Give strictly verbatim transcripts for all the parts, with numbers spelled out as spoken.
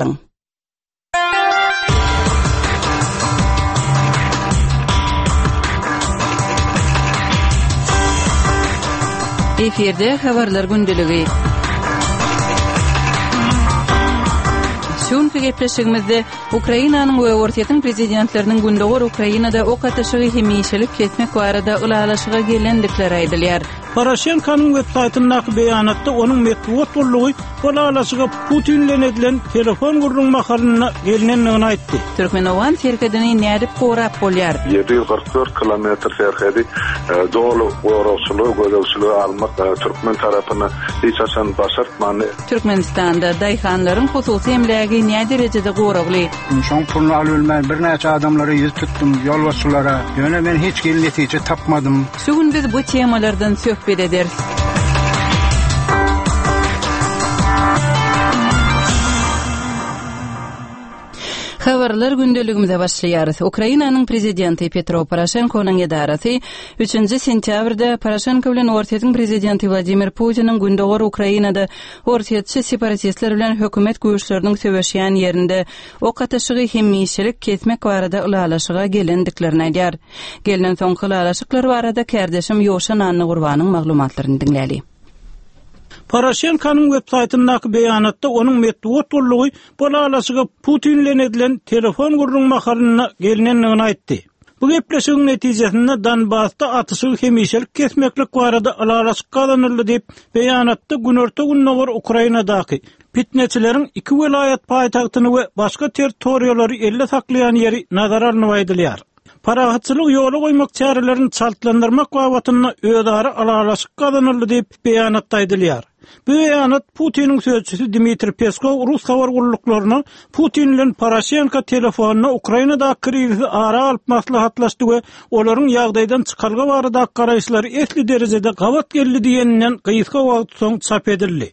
Alyň. Efirde habarlar gündeligi. Şu günki gepleşigimizde Ukrainanyň we Orsýetiň prezidentleriniň Gündogar Ukrainada ok atyşygy hemişelik kesmek barada ylalaşyga gelendikleri aýdylýar. Poroşenkonyň web saýtyndaky beýanatda onuň metbugat gullugy bu ylalaşyga Putin bilen edilen telefon gürrüň mahalynda gelnendigini aýtdy. Türkmen-owgan serhedini nädip gorap bolýar? Ýedi ýüz kyrk dört kilometr serhedi doly goragçylyga, gözegçilige almak türkmen tarapyna hiç haçan başartmandy. Türkmenistanda daýhanlaryň hususy emlägi näderejede goragly? Şoň puluny alybilmän birnäçe adamlara ýüz tutdum, ýolbaşçylara. Ýöne men hiç hili netije tapmadym. Şu gün biz bu temalardan söhbet ederis. Habarlar gündeligimize başlaýarys. Ukrainanyň prezidenti Petro Poroşenkonyň edarasy üçünji sentýabrda Poroşenko bilen Orsýetiň prezidenti Wladimir Putiniň Gündogar Ukrainada orsýetçi separatistler bilen hökümet güýçleriniň söweşýän ýerinde ok atyşygy hemişelik kesmek barada ylalaşyga gelendiklerini aýdýar. Gelnen soňky ylalaşyklar barada kärdeşim Ýowşan Annagurbanyň maglumatlaryny diňläli. Poroşenkonyň web saýtyndaky beýanatda onuň metbugat gullugy bu ylalaşyga Putin bilen edilen telefon gürrüň mahalynda gelnendigini aýtdy. Bu gepleşigiň netijesinde Donbasda atyşygy hemişelik kesmeklik barada ylalaşyk gazanyldy diýip, beýanatda Günorta-Gündogar Ukrainadaky pitneçileriň iki welaýat paýtagtyny we başga territoriýalary elde saklaýan ýeri nazara alnyp aýdylýar. Parahatçylyk ýola goýmak çärelerini çaltlandyrmak babatynda özara ylalaşyk gazanyldy diýip beýanatda aýdylýar. Bu beýanat Putiniň sözçüsi Dmitriý Peskow rus habar gulluklaryna Putin bilen Poroşenko telefonda Ukrainadaky krizisi ara alyp maslahatlaşdy we olaryň ýagdaýdan çykalga baradaky garaýyşlary esli derejede gabat geldi diýeninden gysga wagt soň çap edildi.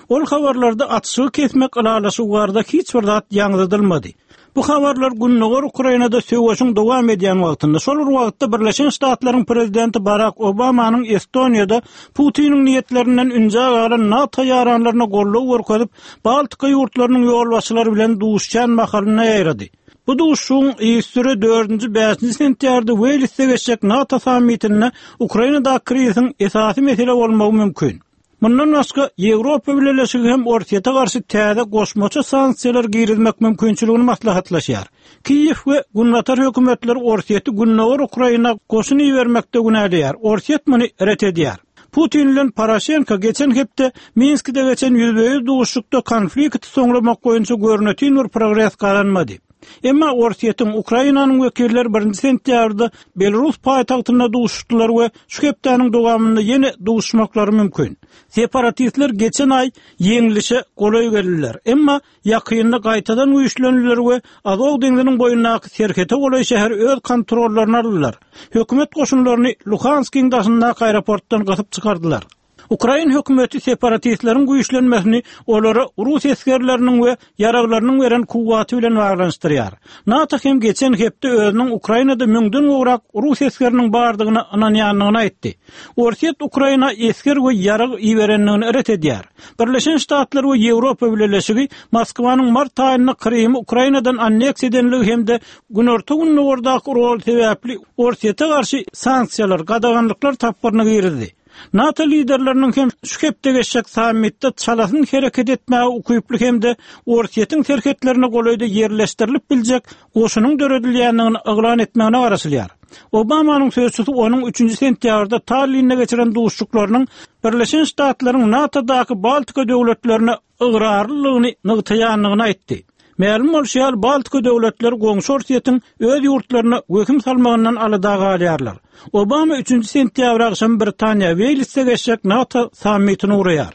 Ol habarlarda atyşygy kesmek ylalaşygy barada hiç bir zat ýaňzydylmady. Bu habarlar Gündogar Ukrainada söweşiň dowam edýän wagtynda, şol bir wagtda Birleşen Ştatlaryň prezidenti Barak Obamanyň Estoniýada Putiniň niýetlerinden ünjä galan NATO ýaranlaryna goldaw görkezip, Baltika ýurtlarynyň ýolbaşçylary bilen duşuşan mahalynda ýaýrady. Bu duşuşygyň yzysüre dördünji, bäşinji sentýabrda Weýlsde geçjek NATO sammitinde Ukrainadaky krizisiň esasy mesele bolmagy mümkin. Mundan başga, Ýewropa Bileleşigi hem Orsýete garşy täze goşmaça sanksiýalar girizmek mümkinçiligini maslahatlaşýar. Kiýew we Günbatar hökümetleri Orsýeti Gündogar Ukraina goşun ibermekde günäleýär. Orsýet muny ret edýär. Putin bilen Poroşenko geçen hepde Minskide geçen ýüzbe-ýüz duşuşykda konflikti soňlamak boýunça görnetin bir progres gazanmady. Emma Orsýetiň Ukrainanyň wekilleri birinji sentýabrda Belarus paýtagtynda duşuşdylar we şu hepdäniň dowamynda ýene duşuşmaklary mümkin. Separatistler geçen aý ýeňlişe golaý geldiler. Emma ýakynda gaýtadan güýçlendiler we Azow deňziniň boýundaky serhete golaý şäheri öz kontrollaryna aldylar. Hökümet goşunlaryny Luhanskyň daşyndaky aeroportdan gysyp çykardylar. Ukrain hökümeti separatistleriň güýçlenmesini olara rus esgerleriniň we ýaraglarynyň beren kuwwaty bilen baglanyşdyrýar. NATO hem geçen hepde özüniň Ukrainada müňden gowrak rus esgeriniň bardygyna ynanýandygyny aýtdy. Orsýet Ukraina esger we ýarag iberendigini ret edýär. Birleşen Ştatlar we Ýewropa Bileleşigi Moskwanyň mart aýynda Krymy Ukrainadan anneksiýa edenligi hem-de Günorta-Gündogardaky rol sebäpli Orsýete garşy sanksiýalar, gadaganlyklar tapgyryny girizdi. NATO liderleriniň hem şu hepde geçjek sammitde çalasyn hereket etmäge ukyply hem-de Orsýetiň serhetlerine golaýda ýerleşdirilip biljek goşunyň döredilýändigini yglan etmegine garaşylýar. Obamanyň sözçüsi onuň üçünji sentýabrda Tallinde geçiren duşuşyklarynyň Birleşen Ştatlaryň NATO-daky Baltika döwletlerine ygrarlylygyny nygtaýandygyny aýtdy. Mälim bolşy ýaly, Baltika döwletleri goňşy Orsýetiň öz ýurtlaryna wehim salmagyndan alada galýarlar. Obama üçünji sentýabr agşamy Britaniýa, Weýlsde geçjek NATO sammitini guraýar.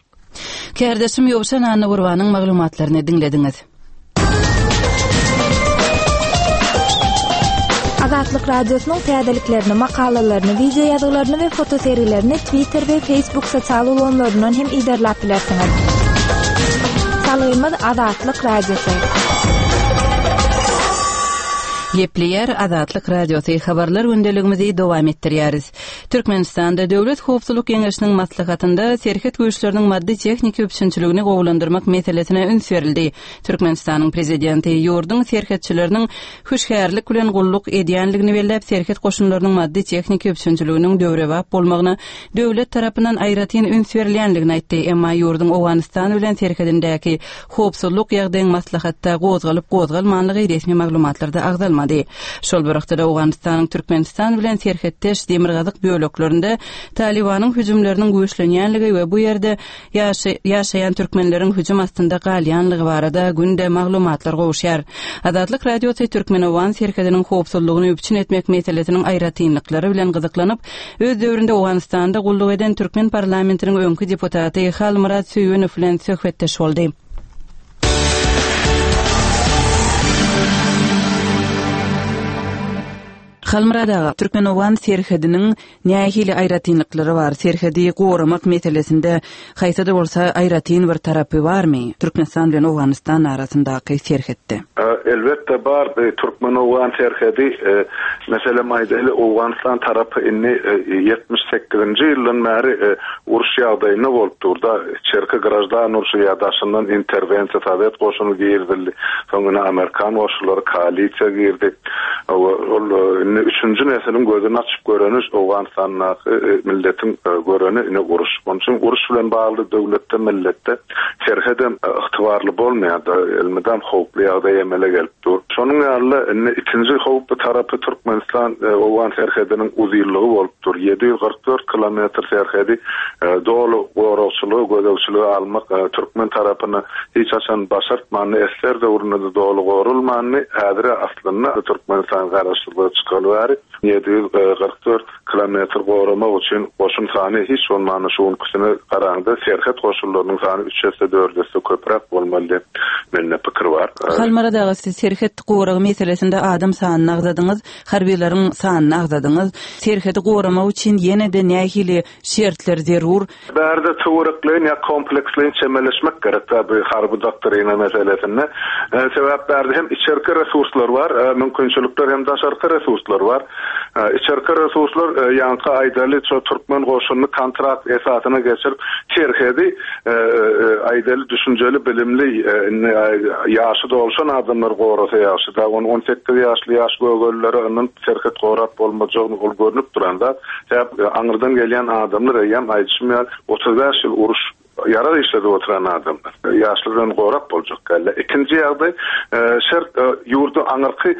Kärdeşim Ýowşan Annagurbanyň maglumatlaryny diňlediňiz. Azatlyk Radiosynyň täzeliklerini, makalalaryny, wideo ýazgylaryny we fotosergilerini Twitter we Facebook sosial ulgamlaryndan hem yzarlap bilersiňiz. Salgymyz Azatlyk Radiosy. Gepleýär Azatlyk Radiosy habarlar gündeligimizi dowam etdirýäris. Türkmenistanda Döwlet Howpsuzlyk Geňeşiniň maslahatynda serhet güýçleriniň maddy-tehniki üpjünçiligini gowulandyrmak meselesine üns berildi. Türkmenistanyň prezidenti ýurduň serhetçileriniň hüşgärlik bilen gulluk edýänligini belläp, serhet goşunlarynyň maddy-tehniki üpjünçiliginiň döwrebap bolmagyna döwlet tarapyndan aýratyn üns berilýänligini aýtdy. Emma ýurduň Owganystan bilen serhedindäki howpsuzlyk ýagdaýyň maslahatda gozgalyp gozgalmanlygy resmi maglumatlarda agzalmady. Şol bir wagtda Owganystanyň Türkmenistan bilen serhetdeş demirgazyk böleklerinde Talibanyň hüjümleriniň güýçlenýänligi we bu ýerde ýaşaýan türkmenleriň hüjüm astynda galýanlygy barada günde maglumatlar gowuşýar. Azatlyk Radiosy Türkmen-Owgan serhediniň howpsuzlygyny üpjün etmek meselesiniň aýratynlyklary bilen gyzyklanyp, öz döwründe Owganystanda gulluk eden türkmen parlamentiniň öňki deputaty Halmyrat Söýünow bilen söhbetdeş boldy. Halmyrat aga, Türkmen-Owgan serhediniň nähili aýratynlyklary bar? Serhedi goramak meselesinde haýsy-da bolsa aýratyn bir tarapy barmy? Türkmenistan bilen Owganystan arasyndaky serhetde. Elbetde bar. Türkmen-Owgan serhedi, meselem aýdaly, Owganystan tarapy indi ýetmiş sekizinji ýyldan bäri uruş ýagdaýynda bolup durda. Içerki grajdan urşy ýa daşyndan interwensiýa Sowet goşuny girizildi. Soň ine Amerikan goşunlary koalisiýa girdi. Ol indi üçünji nesliň gözüni açyp göreni Owganystandaky milletiň göreni ine uruş. Onuň üçin uruş bilen bagly döwletde milletde serhedem ygtybarly bolmaýar, elmydam howply ýagdaý emele gelip dur. Şonuň ýaly indi ikinji howply tarapy Türkmenistan Owgan serhediniň uzynlygy bolup dur. ýedi ýüz kyrk dört kilometr serhedi doly goragçylygy, gözegçiligi almak türkmen tarapyna hiç haçan başartmandy, esser döwründe doly gorulmandy. Häzir aslynda Türkmenistan garaşsyzlyga çykaly bäri ýedi ýüz kyrk dört kilometr goramak üçin goşun sany hiç bolmanda şu günküsine garaňda serhet goşunlarynyň sany üç esse dört esse köpräk bolmaly diýip mende pikir bar. Halmyrat aga, siz serhet goragy meselesinde adam sanyny agzadyňyz, harbiýlaryň sanyny agzadyňyz. Serhedi goramak üçin ýene-de nähili şertler zerur? Bärde töwerekleýin ýa kompleksleýin çemeleşmek gerek da bu harby doktrina meselesinde. Sebäp bärde hem içerki resurslar bar, mümkinçilikler hem daşarky resurslar bar. Içerki resurslar ýaňky aýdaly şo türkmen goşunyny kontrakt esasyna geçirip serhedi aýdaly düşünjeli bilimli indi ýaşy dolşan adamlar gorasa ýagşy da on on sekiz ýaşly ýaş gögellere yndan serhet gorap bolmajagyny ol görnüp duranda sebäp aňyrdan gelýän adamlar eýýäm aýdyşym ýaly otuz bäş ýyl uruş ýarag işledi oturan adamlar. Ýaşlardan gorap boljak geldi. Ikinji ýagdaý, şert ýurdu aňyrky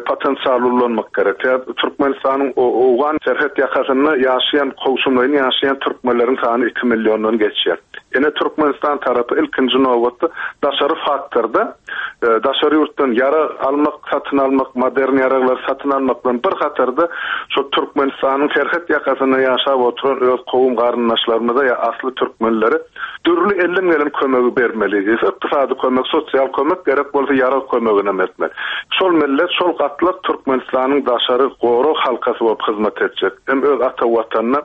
potensialy ullanmak gerek. Türkmenistanyň Owgan serhet ýakasynda ýaşaýan, kowşumlaýyn ýaşaýan türkmenleriň sany iki milliondan geçýär. Ene Türkmenistan tarapy ilkinji nobatda daşary faktorda daşary ýurtdan ýarag almak, satyn almak, modern ýaraglar satyn almak bilen bir hatarda şu Türkmenistanyň serhet ýakasynda ýaşap oturan öz kowum garyndaşlarymyza ýa asly türkmenlere dürli elden gelen kömegi bermeli. Ykdysady kömek, sosial kömek gerek bolsa ýarag kömegine etmeli. Şol millet, şol gatlak Türkmenistanyň daşary gorag halkasy bolup hyzmat etjek. Hem öz ata watanyna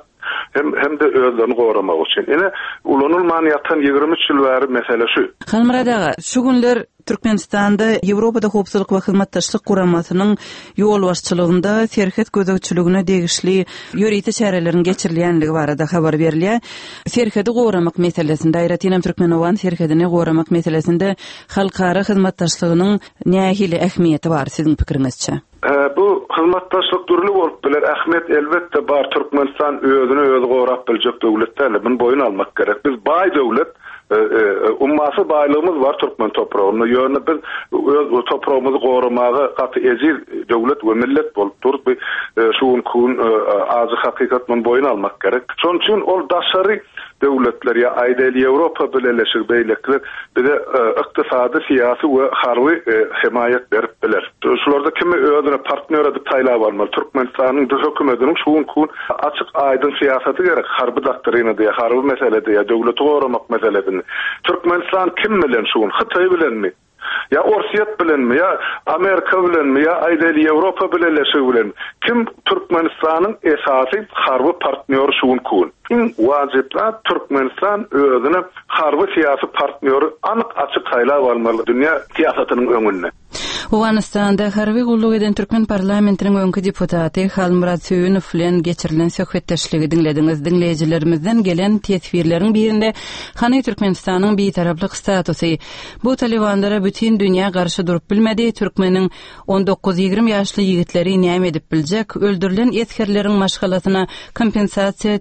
hem hem de özlerini goramak üçin. Ine ulanylman ýatan ýigrimi üç ýyl bäri mesele şu. Halmyrat aga, şu günler Türkmenistanda Ýewropada howpsuzlyk we hyzmatdaşlyk guramasynyň ýolbaşçylygynda serhet gözegçiligine degişli ýörite çäreleriň geçirilýänligi barada habar berilýär. Serhedi goramak meselesinde, aýratyn hem Türkmen-Owgan serhedini goramak meselesinde halkara hyzmatdaşlygynyň nähili ähmiýeti bar siziň pikiriňizçe? Bu hyzmatdaşlyk dürli bolup biler. Ahmet elbetde bar. Türkmenistan özüni özü gorap biljek döwlet däl. Bunu boýun almak gerek. Biz baý döwlet, ummasy baýlygymyz bar türkmen topragynda. Ýöne biz öz topragymyzy goramaga gaty ejiz döwlet we millet bolup duruz. Bu şu gün ajy hakykat bunu boýun almak gerek. Şonuň üçin ol daşary döwletler ýa aýdaly Ýewropa Bileleşigi beýlekler bize ykdysady, syýasy we harby hemaýat berip biler. Şularda kimi özüne partnýor edip saýlap almaly? Türkmenistanyň hökümetiniň şu gün açyk aýdyň syýasaty gerek. Harby doktrina diýe, harby mesele diýe, döwleti goramak meselesini. Türkmenistan kim bilen şu gün? Hytaý bilenmi? Ya Orsiyet bilenmi, ya Amerika bilenmi, ya aýdaly Ýewropa Bileleşigi bilen? Kim Türkmenistanyň esasy harby partnýory şu gün gün? Iň wajyp zat Türkmenistan özüne harby syýasy partnýory anyk açyk saýlap almaly dünýä syýasatynyň öňünde. Owganystanda harby gulluk eden türkmen parlamentiniň öňki deputaty Halmyrat Söýünow bilen geçirilen söhbetdeşligi diňlediňiz. Diňleýjilerimizden gelen teswirleriň birinde hany Türkmenistanyň bitaraplyk statusy bu talibanlara bütin dünýä garşy durup bilmedi. Türkmeniň on dokuz ýigrimi ýaşly ýigitleri näme edip biljek? Öldürilen esgerleriň maşgalasyna kompensasiýa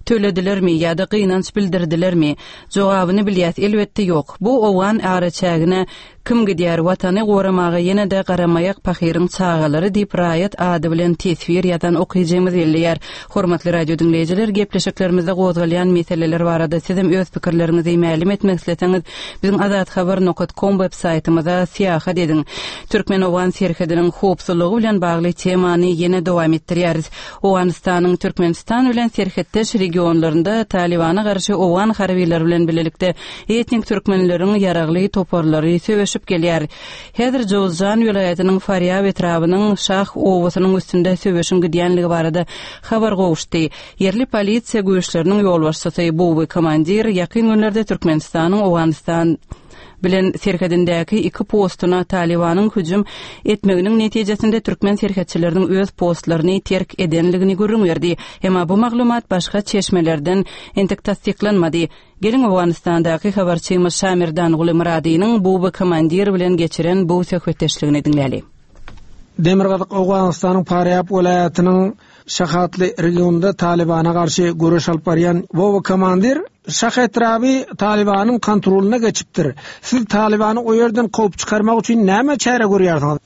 töledilermi ýa-da gynanç bildirdilermi? Jogabyny bilýäs, elbetde ýok. Bu owgan araçägine kim gidýär watany goramaga ýene-de garamaýak pahyryň çagalary diýip raýat ady bilen teswir ýazan okyjymyz belleýär. Hormatly radio diňleýjiler, gepleşiklerimizde gozgalýan meseleler barada sizem öz pikirleriňizi mälim etmek isleseňiz, biziň azathabar nokta com web saýtymyza syýahat ediň. Türkmen-Owgan serhediniň howpsuzlygy bilen bagly temany ýene dowam etdirýäris. Owganystanyň Türkmenistan bilen serhetdeş regionlarynda Talibana garşy owgan harbylary bilen birlikde etnik türkmenleriň ýaragly toparlary söweşip gelýär. Häzir Jowzjan welaýatynyň Farýab etrabynyň Şah obasynyň üstünde söweşiň gidýänligi barada habar gowuşdy. Ýerli polisiýa güýçleriniň ýolbaşçysy Buwy komandir ýakyn günlerde Türkmenistanyň Owganystan bilen serhedindäki iki postuna Talibanyň hüjüm etmeginiň netijesinde türkmen serhetçileriniň öz postlaryny terk edenligini gürrüň berdi. Emma bu maglumat başga çeşmelerden entek tassyklanmady. Geliň Owganystandaky habarçymyz Şamirdan Gulymyradynyň Buwy komandir bilen geçiren bu söhbetdeşligini diňläli. Demirgazyk Owganystanyň Farýab welaýatynyň Şahatly regionunda Talibana garşy göreş alyp barýan Buwy komandir Şah etraby Talibanyň kontrolyna geçipdir. Siz Talibany o ýerden kowup çykarmak üçin näme çäre görýärsiňiz?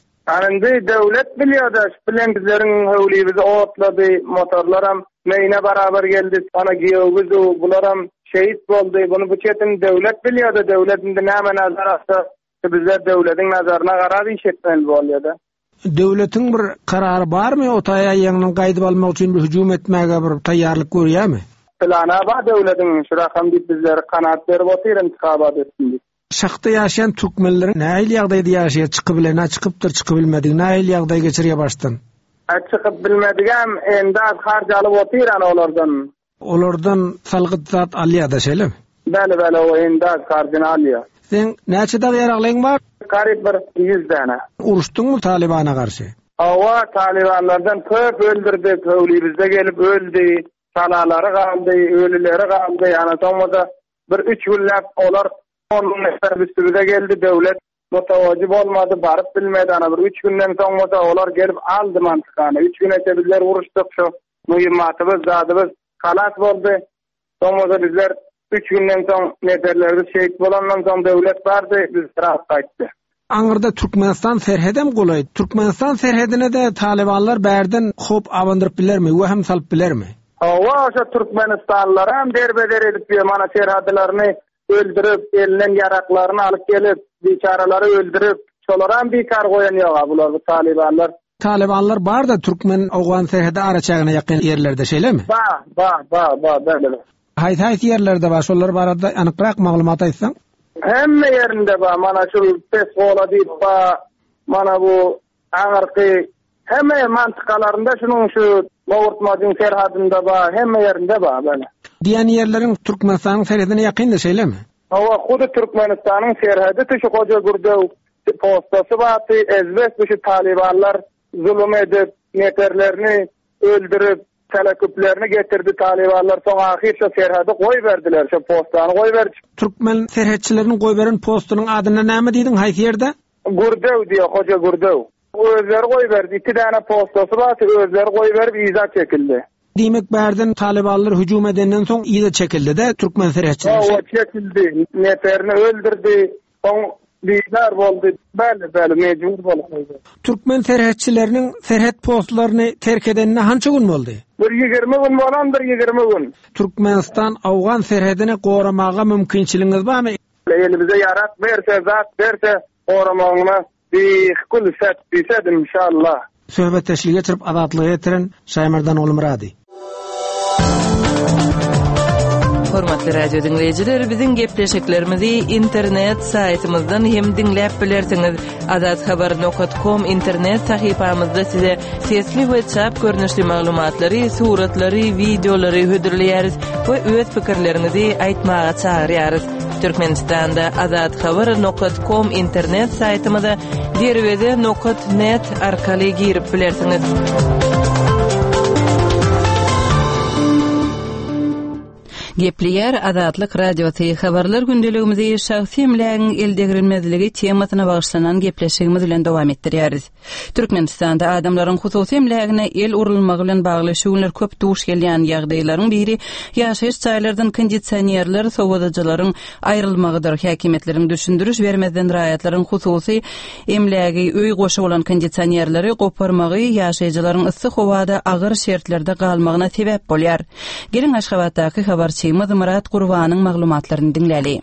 Indi döwlet bilýär-de, bilen bizleriň höwlibizi otlady, motorlaram meýne barabar geldi. Ana giýewbizu bularam şehit boldy. Bunu bu çetin döwlet bilýär-de, döwlet indi näme nazar atsa, bizler döwletiň nazaryna garap iş etmeli bolýar-da. Döwletiň bir karary barmy o taýa ýeňiniň gaýdyp almak üçin bir hüjüm etmäge bir taýýarlyk görýärmi? Plana bar döwletiň şu rakam diýip bizlere kanat berip otyr intihabat etsin diýip. Şahda ýaşaýan türkmenleriň nähili ýagdaýda ýaşaýar, çykyp bilene çykypdyr, çykyp bilmedik, nähili ýagdaý geçirýär başdan? A çykyp bilmedigem endi az harç alyp otyr ana olardan. Olardan salgyt zat alýar da şeýle? Bäli bäli o endi az harjyny alýar. Sen näçe dag ýaraglyň bar? Garyp bir ýüz däne. Uruşdyňmy Talibana garşy? Awa, Talibanlardan köp öldürdik, höwlibizde gelip öldi, salalary galdy, ölüleri galdy. Ana soňra bir üç günläp olar on nefer üstümize geldi, döwlet mutawajy bolmady, baryp bilmedi. Ana bir üç günden soňra olar gelip aldy mantykany. Üç gün öte bizler uruşdyk, şu mühimmatymyz, zadymyz halas boldy. Soňra bizler üç günden soň neferlerimiz şehit bolandan soň döwlet bardy, biz rahat gaýtdy. Aňyrda Türkmenistan serhedem golaý. Türkmenistan serhedine de Talibanlar bärden hop abandyryp bilermi, we hem salyp bilermi? Hawa, şu Türkmenistanlylar hem derbeder edip ýör, mana serhadlaryny öldürip, elinden ýaraklaryny alyp gelip, biçaralary öldürip, şolar hem bikar goýan ýok bular bu Talibanlar. Talibanlar bar da Türkmen Owgan serhedi araçägine ýakyn ýerlerde şeýlemi? Ba, ba, ba, ba, bäle. Haýsy haýsy ýerlerde bar, şolar barada anykrak maglumat aýtsaň? Hemme ýerinde bar, mana şu Pesgola diýip ba, mana bu aňyrky hemme mantykalarynda şunuň şu Gowurtmadyň serhadynda bar, hemme ýerinde bar bäle. Diýen ýerleriň Türkmenistanyň serhedine ýakyndy şeýlemi? Hawa, hudy Türkmenistanyň serhedi şu Hoja Gürdew postasy bardy, ezbek şu Talibanlar zulum edip, neferlerini öldürip, teleküplerini getirdi Talibanlar. Soň ahyr şu serhedi goý berdiler, şu postany goý berdi. Türkmen serhetçileriniň goý beren postunyň adyna näme diýdiň, haýsy ýerde? Gürdew diýär, Hoja Gürdew. Özleri goý berdi, iki däne postasy bardy, özleri goý berip iza çekildi. Diýmek bärden Talibanlar hüjüm edenden soň iza çekildi de Türkmen serhetçileri. Hawa, çekildi. Neferini öldürdi. Soň bizar boldy. Bäli, bäli mejbur boldy. Türkmen serhetçileriniň serhet postlaryny terk edenine hança gün boldy? Bir ýigrimi gün bolandyr, ýigrimi gün. Türkmenistan Owgan serhedini goramaga mümkinçiligiňiz barmy? Elimize ýarak berse, zat berse, goramagyna bir kul set diýsed inşallah. Söhbetdeşlik geçirip azatlyga getiren Şaýmerdan Gulmyrady. Hormatly radio diňleýjiler, biziň gepleşiklerimizi internet saýtymyzdan hem diňläp bilersiňiz. Azathabar nokta com internet sahypamyzda size sesli we çap görnüşli maglumatlary, suratlary, wideolary hödürleýäris we öz pikirleriňizi aýtmaga çagyrýarys. Türkmenistanda azathabar nokat kom internet saýtymyza derweze nokat net arkaly girip bilersiňiz. Gepleýär Azatlyk Radiosy habarlar gündeligimizi şahsy emlägiň eldegrilmezligi temasyna bagyşlanan gepleşigimiz bilen dowam etdirýäris. Türkmenistanda adamlaryň hususy emlägine el urulmagy bilen bagly şu günler köp duş gelýän ýagdaýlaryň biri ýaşaýyş jaýlardan kondisionerler, sowadyjylaryň aýrylmagydyr. Häkimiýetleriň düşündiriş bermezden raýatlaryň hususy emlägi öý goşy bolan kondisionerleri goparmagy ýaşaýjylaryň yssy howada agyr şertlerde galmagyna sebäp bolýar. Geliň Aşgabatdaky habarçymyz Myrat Gurbanyň maglumatlaryny diňläli.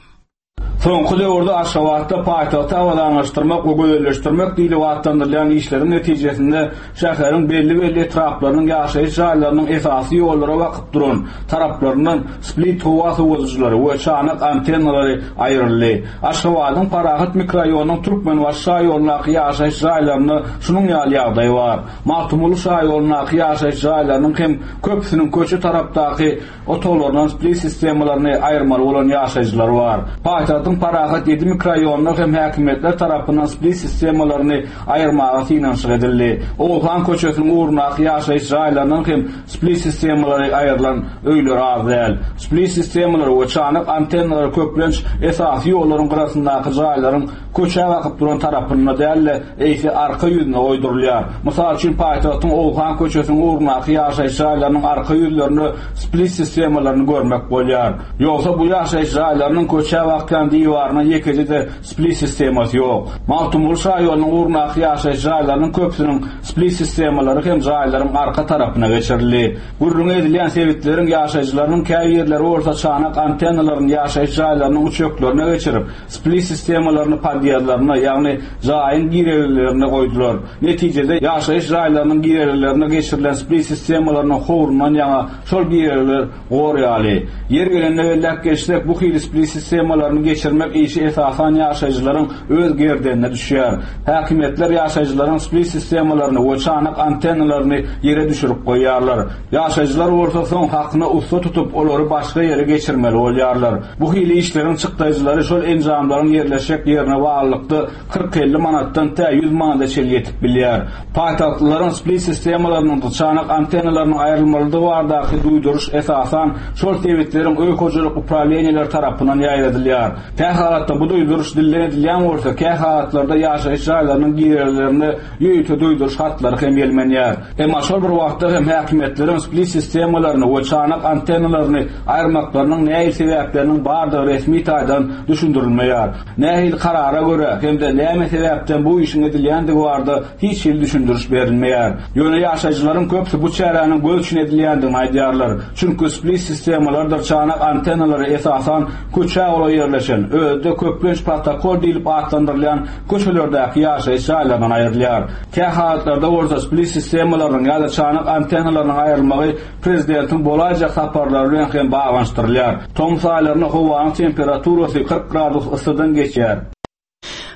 Soňky döwürde Aşgabatda paýtagty abadanlaşdyrmak we gözelleşdirmek diýlip atlandyrylýan işleriň netijesinde şäheriň belli-belli etraplarynyň ýaşaýyş jaýlarynyň esasy ýollara bakyp duran taraplaryndan split howa sowadyjylary we çanak antennalary aýryldy. Aşgabadyň Parahat mikroraýonynyň Türkmenbaşy şaýolundaky ýaşaýyş jaýlarynda şunuň ýaly ýagdaý bar. Magtymguly şaýolundaky ýaşaýyş jaýlarynyň hem köpüsiniň köçe tarapdaky otaglaryndan split sistemalaryny aýyrmaly bolan ýaşaýjylar bar. Paýtagtyň Parahat ýedi mikroraýonynda hem häkimiýetler tarapyndan split sistemalaryny aýyrmaga synanyşyk edildi. Oguzhan köçesiniň ugrundaky ýaşaýyş jaýlaryndan hem split sistemalary aýrylan öýler az däl. Split sistemalary we çanak antennalary köplenç esasy ýollaryň gyrasyndaky jaýlaryň köçä bakyp duran tarapynda däl-de, eýse arka ýüzüne goýdurylýar. Mysal üçin paýtagtyň Oguzhan köçesiniň ugrundaky ýaşaýyş jaýlarynyň arka ýüzlerinde split sistemalaryny görmek bolýar. Ýogsa bu ýaşaýyş jaýlarynyň köçä bakýan diwaryna ýekeje-de split sistemasy ýok. Magtymguly şaýolunyň ugrundaky ýaşaýyş jaýlarynyň köpüsiniň split sistemalary hem jaýlaryň arka tarapyna geçirildi. Gürrüň edilýän sebitleriň ýaşaýjylarynyň käbirleri bolsa çanak antennalaryny ýaşaýyş jaýlarynyň uçaklarına geçirip, split sistemalaryny podýezdlerine, ýagny jaýyň girelgelerine goýdular. Netijede ýaşaýyş jaýlarynyň girelgelerine geçirilen split sistemalarynyň howrundan ýaňa şol girelgeler gor ýaly. Ýer gelende belläp geçsek, bu hili split sistemalaryny geçirmek işi esasan ýaşaýjylaryň öz gerdenine düşýär. Häkimiýetler ýaşaýjylaryň split sistemalaryny we çanak antennalaryny ýere düşürip goýýarlar. Ýaşaýjylar bolsa soň hakyna ussa tutup olary başga ýere geçirmeli bolýarlar. Bu hili işleriň çykdaýjylary şol enjamlaryň ýerleşjek ýerine baglylykda kyrk elli manatdan tä ýüz manada çenli ýetip bilýär. Paýtagtlylaryň split sistemalarynyň çanak antennalarynyň aýrylmalydygy baradaky duýduryş esasan şol sebitleriň öý hojalyk uprawleniýalar tarapyndan ýaýradylýar. Kä halatda bu duýduryş dilden edilýän bolsa, kä halatlarda ýaşaýyş jaýlarynyň girelgelerinde ýörite duýduryş hatlary hem ýelmenýär. Emma şol bir wagtda hem häkimiýetleriň split sistemalaryny we çanak antennalaryny aýyrmaklarynyň nähili sebäpleriniň bardygy resmi taýdan düşündirilmeýär. Nähili karara görä hem-de näme sebäpden bu işiň edilýändigi barada hiç hili düşündiriş berilmeýär. Ýöne ýaşaýjylaryň köpüsi bu çäräniň göz üçin edilýändigini aýdýarlar. Çünki split sistemalardyr çanak antennalary esasan köçä golaý ýerleşen, özde köplenç protokol diýlip atlandyrylýan köçelerdäki ýaşaýyş jaýlaryndan aýrylýar. Kä halatlarda bolsa split sistemalarynyň ýa-da çanak antennalarynyň aýrylmagy prezidentiň bolaýjak saparlary bilen hem baglanyşdyrylýar. Tomus aýlarynda howanyň temperaturasy kyrk gradus yssydan geçýär.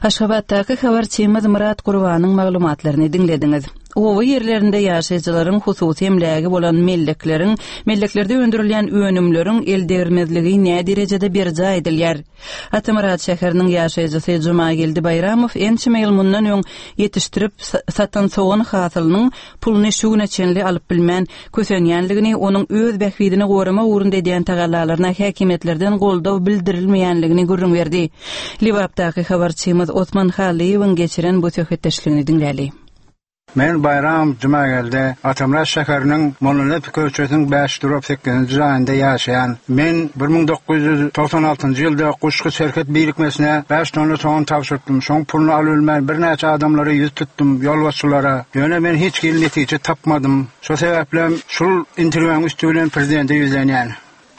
Aşgabatdaky habarçymyz Myrat Gurbanyň maglumatlaryny diňlediňiz. Oba ýerlerinde ýaşaýjylaryň hususy emlägi bolan mellekleriň, melleklerde öndürilýän önümleriň eldegrilmezligi nä derejede berjaý edilýär? Atamyrat şäheriniň ýaşaýjysy Jumageldi Baýramow ençeme ýyl mundan öň ýetişdirip satan sogan hasylynyň puluny şu güne çenli alyp bilmän kösenýänligini, onuň öz bähbidini goramak ugrunda edýän tagallalaryna häkimiýetlerden goldaw bildirilmeýänligini gürrüň berdi. Lebapdaky habarçymyz Osman Halyýewiň geçiren bu söhbetdeşligini diňläli. Men Bayram Jumageldi, Atamyrat şäheriniň Mollanepe köçesiniň bäş durup sekizinji jaýynda ýaşaýan. Men bir müň dokuz ýüz togsan altynjy ýylda Guşgy serhet birikmesine bäş tonna sogan tabşyrdym. Şoň puluny alyp bilmän birnäçe adamlara ýüz tutdum, ýolbaşçylara. Ýöne men hiç hili netije tapmadym. Şo sebäplem şul interwýuň üstü bilen prezidente ýüzlenýän.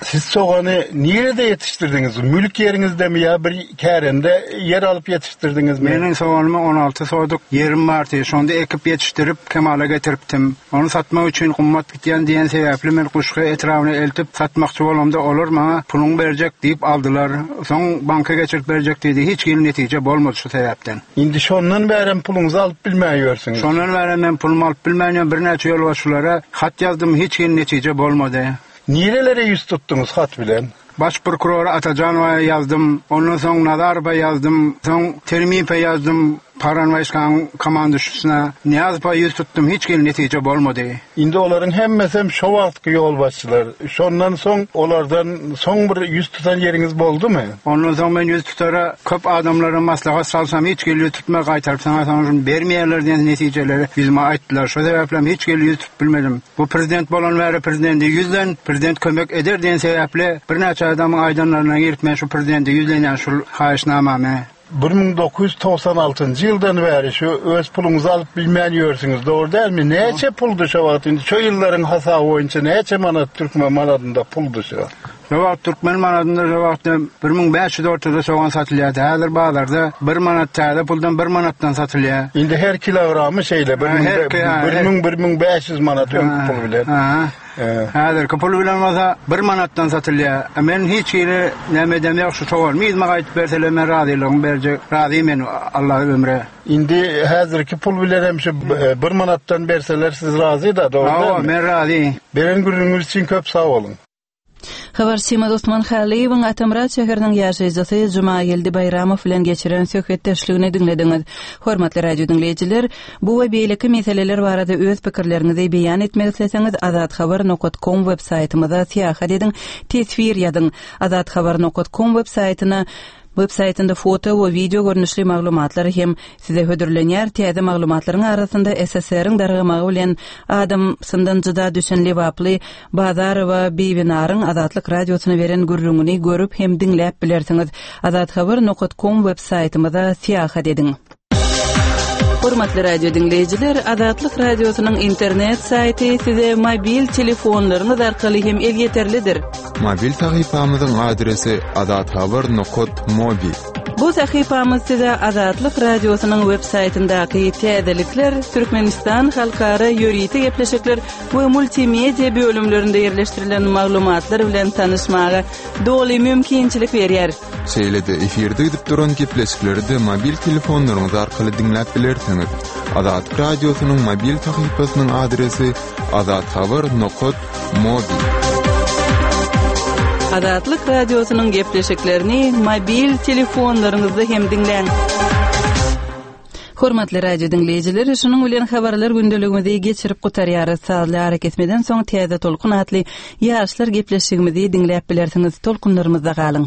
Siz sogany nirede ýetişdirdiňiz? Mülk ýeriňizdemi ýa bir kärende ýer alyp ýetişdirdiňizmi? Meniň soganymy on alty soduk ýerim bardy. Şonda ekip ýetişdirip kemala getiripdim. Ony satmak üçin gymmat gitýän diýen sebäpli men Guşgy etrabyna eltip satmakçy bolamda olar maňa puluň berjek diýip aldylar. Soň banka geçirip berjek diýdi. Hiç hili netije bolmady şu sebäpden. Indi şondan bärem puluňyzy alyp bilmän ýörsüňiz. Şondan bärem men pulumy alyp bilmän ýörüm. Birnäçe ýolbaşçylara hat ýazdym, hiç hili netije bolmady. Nirelere ýüz tutduňyz hat bilen? Baş prokurora Atajanowa ýazdym. Ondan soň Nazarowa ýazdym. Soň Termipe ýazdym. Paranwaýskaň komanduşysyna Nyýazowa ýüz tutdum. Hiç hili netije bolmady. Indi olaryň hemmesem şo wagtky ýolbaşçylar. Şondan soň olardan soň bir ýüz tutan ýeriňiz boldumy? Ondan soň men ýüz tutara köp adamlara maslahat salsam hiç hili ýüz tutma gaýtaryp saňa soň bermeýärler diýen netijeleri ýüzüme aýtdylar. Şo sebäplem hiç hili ýüz tutup bilmedim. Bu prezident bolan bäri prezidenti ýüzlen, prezident kömek eder diýen sebäple birnäçe adamyň aýdanlaryna girip men şu prezidenti ýüzlenýän şul haýyşnamamy. Bir müň dokuz ýüz togsan altynjy ýyldan bäri şu öz puluňyzy alyp bilmän ýörsüňiz, dogry dälmi? Näçe puldy şo wagt indi şo ýyllaryň hasaby boýunça näçe manat türkmen manadynda puldy şo? Şo wagt türkmen manadynda şo wagt bir müň bäş ýüz ortada sogan satylýardy. Häzir bazarda bir manat täze puldan bir manatdan satylýar. Indi her kilogramy şeýle bir müň bir müň bir müň bäş ýüz manat öňki pul bilen. Häzirki pul bilen bolsa bir manatdan satylýar. Men hiç hili näme edem ýok, şu soganymy yzyma gaýdyp berseler men razylygymy berjek. Razy men Allah ömre. Indi häzirki pul bilen hem şu bir manatdan berseler siz razy-da, dogry dälmi? Hawa, men razy. Beren gürrüňiňiz üçin köp sag boluň. Habarçymyz Osman Halyýewiň Atamyrat şäheriniň ýaşaýjysy Jumageldi Baýramow bilen geçiren söhbetdeşligini diňlediňiz. Hormatly radio diňleýjiler, bu we beýleki meseleler barada öz pikirleriňizi beýan etmek isleseňiz azathabar nokat kom web saýtymyza syýahat ediň, teswir ýazyň. Azathabar nokat kom web saýtyna Web saýtynda foto we wideo görnüşli maglumatlar hem size hödürlenýär. Täze maglumatlaryň arasynda S S R-iň dargamagy bilen adamsyndan jyda düşen lebaply Bazarowa Bibinaryň Azatlyk Radiosyna beren gürrüňini görüp hem diňläp bilersiňiz. Azathabar nokat kom web saýtymyza syýahat ediň. Hormatly radio diňleýjiler, Azatlyk Radiosynyň internet saýty size mobil telefonlaryňyz arkaly hem elýeterlidir. Mobil sahypamyzyň adresi azathabar nokat mobi. Bu sahypamyz size Azatlyk Radiosynyň web saýtyndaky täzelikler, Türkmenistan halkara ýörite gepleşikler we multimedia bölümlerinde ýerleşdirilen maglumatlar bilen tanyşmaga doly mümkinçilik berýär. Şeýle-de efirde gidip duran gepleşikleri de mobil telefonlaryňyz arkaly diňläp bilersiňiz. Azatlyk Radiosynyň mobil sahypasynyň adresi azathabar nokat mobi. Azatlyk Radiosynyň gepleşiklerini mobil telefonlaryňyzda hem diňläň. Hormatly radio diňleýjiler, şunuň bilen habarlar gündeligimizi geçirip gutarýarys. Sazly arakesmeden soň Täze Tolkun atly ýaşlar gepleşigimizi diňläp bilersiňiz. Tolkunlarymyzda galyň.